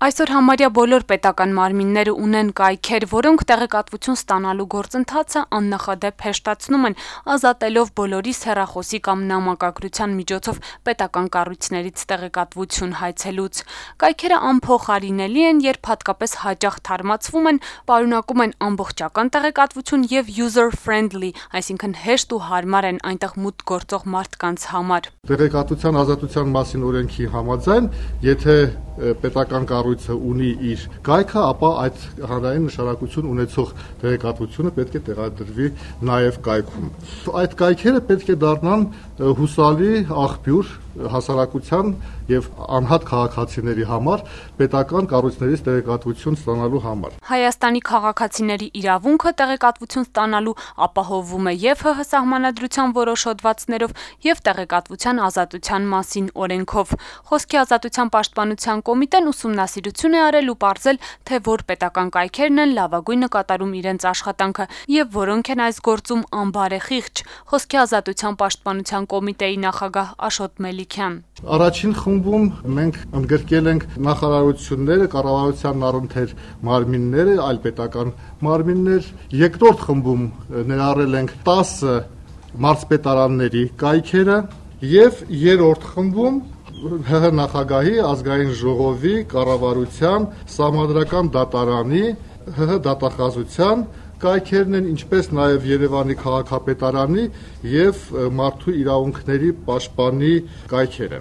Այսօր համարյա բոլոր պետական մարմինները ունեն կայքեր, որոնք տեղեկատվություն ստանալու գործընթացը աննախադեպ հեշտացնում են, ազատելով բոլորիս հեռախոսի կամ նամակագրության միջոցով պետական կառույցներից տեղեկատվություն հայցելուց։ Կայքերը անփոխարինելի են, երբ հատկապես հաճախ թարմացվում են, պարունակում են ամբողջական տեղեկատվություն եւ user-friendly, այսինքն հեշտ ու հարմար են այնտեղ մուտք գործող մարդկանց համար։ Տեղեկատվության ազատության մասին օրենքի համաձայն, եթե պետական կառույցը ունի իր կայքը, ապա այդ հանրային նշանակություն ունեցող տեղեկատվությունը պետք է տեղադրվի նաև կայքում։ Այդ կայքերը պետք է դառնան հուսալի աղբյուր հասարակության եւ անհատ քաղաքացիների համար պետական կառույցներից տեղեկատվություն ստանալու համար։ Հայաստանի քաղաքացիների իրավունքը տեղեկատվություն ստանալու ապահովվում է եւ ՀՀ սահմանադրության որոշ հոդվածներով եւ տեղեկատվության ազատության մասին օրենքով։ Խոսքի ազատության պաշտպանության կոմիտեն ուսումնասիրություն է արել ու պարզել, թե որ պետական կայքերն են լավագույնը կատարում իրենց աշխատանքը եւ որոնք են այս գործում անբարեխիղճ։ Խոսքի ազատության պաշտպանության կոմիտեի նախագահ Աշոտ Մելիքյան։ Առաջին խմբում մենք ընդգրկել ենք նախարարությունները, կառավարության առընթեր մարմինները, այլ պետական մարմիններ։ Երկրորդ խմբում ներառել ենք 10 մարզպետարանների կայքերը եւ երրորդ խմբում ՀՀ նախագահի, ազգային ժողովի, կառավարության, սահմանադրական դատարանի, ՀՀ դատախազության կայքերն են, ինչպես նաև Երևանի քաղաքապետարանի եւ մարդու իրավունքների պաշտպանի կայքերը։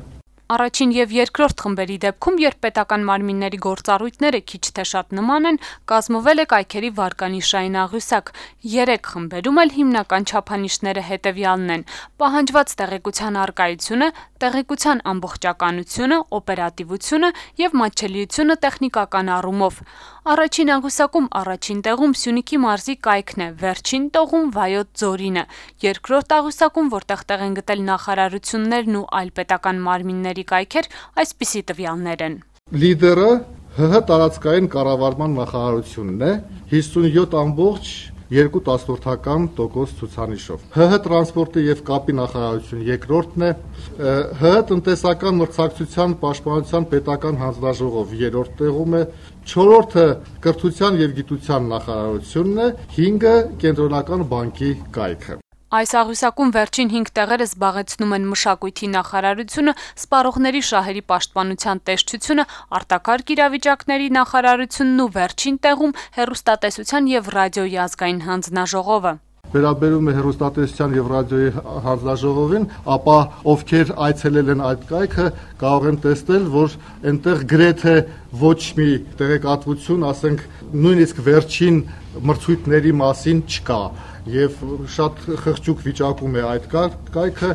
Առաջին եւ երկրորդ խմբերի դեպքում, երբ պետական մարմինների գործառույթները քիչ թե շատ նման են, կազմվել է կայքերի վարկանիշային աղյուսակ։ 3 խմբերում էլ հիմնական չափանիշները հետևյալն են՝ պահանջված տեղեկության առկայությունը, տեղեկության ամբողջականությունը, օպերատիվությունը եւ մատչելիությունը տեխնիկական առումով։ Առաջին աղյուսակում առաջին տեղում Սյունիքի մարզի կայքն է, վերջին տեղում Վայոց ձորինը։ Երկրորդ աղյուսակում, որտեղ տեղ են գտել նախարարություններն ու այլ պետական մարմինների կայքեր, այսպիսի տվյալներ են։ Լիդերը ՀՀ տարածքային կառավարման նախարարությունն է 57.2% ցուցանիշով։ ՀՀ տրանսպորտի եւ կապի նախարարություն երկրորդն է, ՀՀ տնտեսական մրցակցության պաշտպանության պետական հանձնաժողով երրորդ տեղում է, 4-րդը կրթության եւ գիտության նախարարությունն է, 5-ը կենտրոնական բանկի կայքը։ Այս աղյուսակում վերջին 5 տեղերը զբաղեցնում են մշակույթի նախարարությունը, սպառողների շահերի պաշտպանության տեսչությունը, արտակարգ իրավիճակների նախարարությունն ու վերջին տեղում հեռուստատեսության եւ ռադիոյի ազգային հանձնաժողովը։ Վերաբերում է հեռուստատեսության եւ ռադիոյի հանձնաժողովին, ապա ովքեր այցելել են այդ կայքը, կարող են տեսնել, որ այնտեղ գրեթե ոչ մի տեղեկատվություն, ասենք, նույնիսկ վերջին մրցույթների մասին չկա եւ շատ խղճուկ վիճակում է այդ կայքը,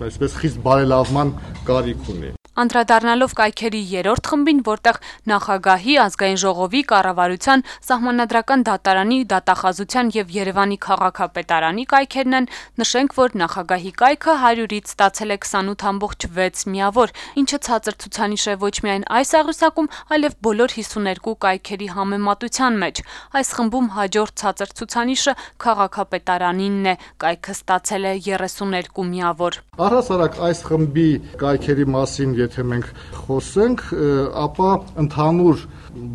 այսպես խիստ բարելավման կարիք ունի։ Անդրադառնալով կայքերի երրորդ խմբին, որտեղ նախագահի, ազգային ժողովի, կառավարության, սահմանադրական դատարանի, դատախազության եւ Երևանի քաղաքապետարանի կայքերն են, նշենք, որ նախագահի կայքը 100-ից ստացել է 28.6 միավոր, ինչը ցածր ցուցանիշ է ոչ միայն այս աղյուսակում, այլև բոլոր 52 կայքերի համեմատության մեջ։ Այս խմբում հաջորդ ցածր ցուցանիշը քաղաքապետարանինն է, կայքը ստացել է 32 միավոր։ Առհասարակ այս խմբի կայքերի մասին եթե մենք խոսենք, ապա ընդհանուր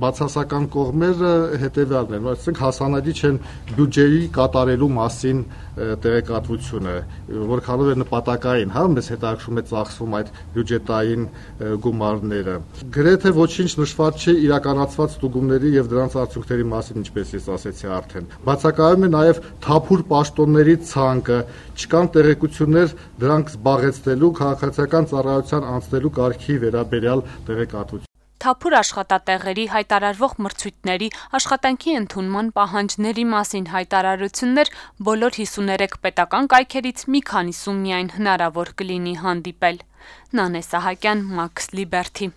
բացասական կողմերը հետևյալն են, ասենք հասանելի չեն բյուջեի կատարելու մասին տեղեկատվությունը, որքանով է նպատակային, մեզ հետաքրում է ծախսվում այդ բյուջետային գումարները։ Գրեթե ոչինչ նշված չէ իրականացված ստուգումների եւ դրանց արդյունքների մասին, ինչպես ես ասեցի արդեն։ Բացակայում է նաեւ թափուր պաշտոնների ցանկը, չկան տեղեկություններ դրանք զբաղեցնելու քաղաքացիական ծառայության անցնելու կարգի վերաբերյալ տեղեկատվություն։ Թափուր աշխատատեղերի, հայտարարվող մրցույթների, աշխատանքի ընդունման պահանջների մասին հայտարարություններ բոլոր 53 պետական կայքերից մի քանիսում միայն հնարավոր կլինի հանդիպել։ Նանե Սահակյան, Մաքս Լիբերթի։